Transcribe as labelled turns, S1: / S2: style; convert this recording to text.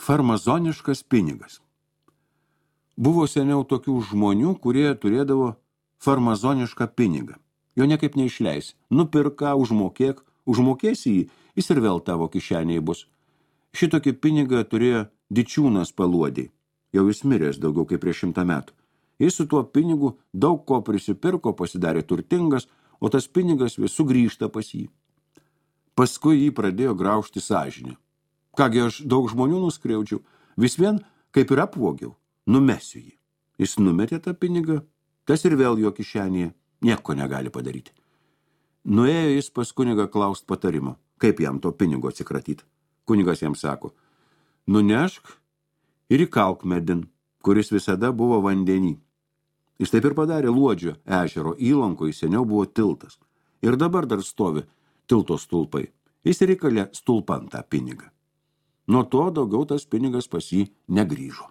S1: Farmazoniškas pinigas. Buvo seniau tokių žmonių, kurie turėdavo farmazonišką pinigą. Jo niekaip neišleisi. Nupirka, užmokėsi jį, jis ir vėl tavo kišenėje bus. Šitokį pinigą turėjo Dičiūnas Paluodį. Jau jis miręs daugiau kaip prieš 100 metų. Jis su tuo pinigu daug ko prisipirko, pasidarė turtingas, o tas pinigas vis sugrįžta pas jį. Paskui jį pradėjo graužti sąžinė. Kągi aš daug žmonių nuskriaudžiau, vis vien kaip ir apvogiau, numesiu jį. Jis numetė tą pinigą, tas ir vėl jo kišenėje, nieko negali padaryti. Nuėjo jis pas kunigą klaust patarimo, kaip jam to pinigo atsikratyti. Kunigas jam sako, nunešk ir įkalk medin, kuris visada buvo vandenį. Jis taip ir padarė Luodžio ežero įlankoje, seniau buvo tiltas. Ir dabar dar stovi tilto stulpai. Jis ir įkalė stulpan tą pinigą. Nuo to daugiau tas pinigas pas jį negrįžo.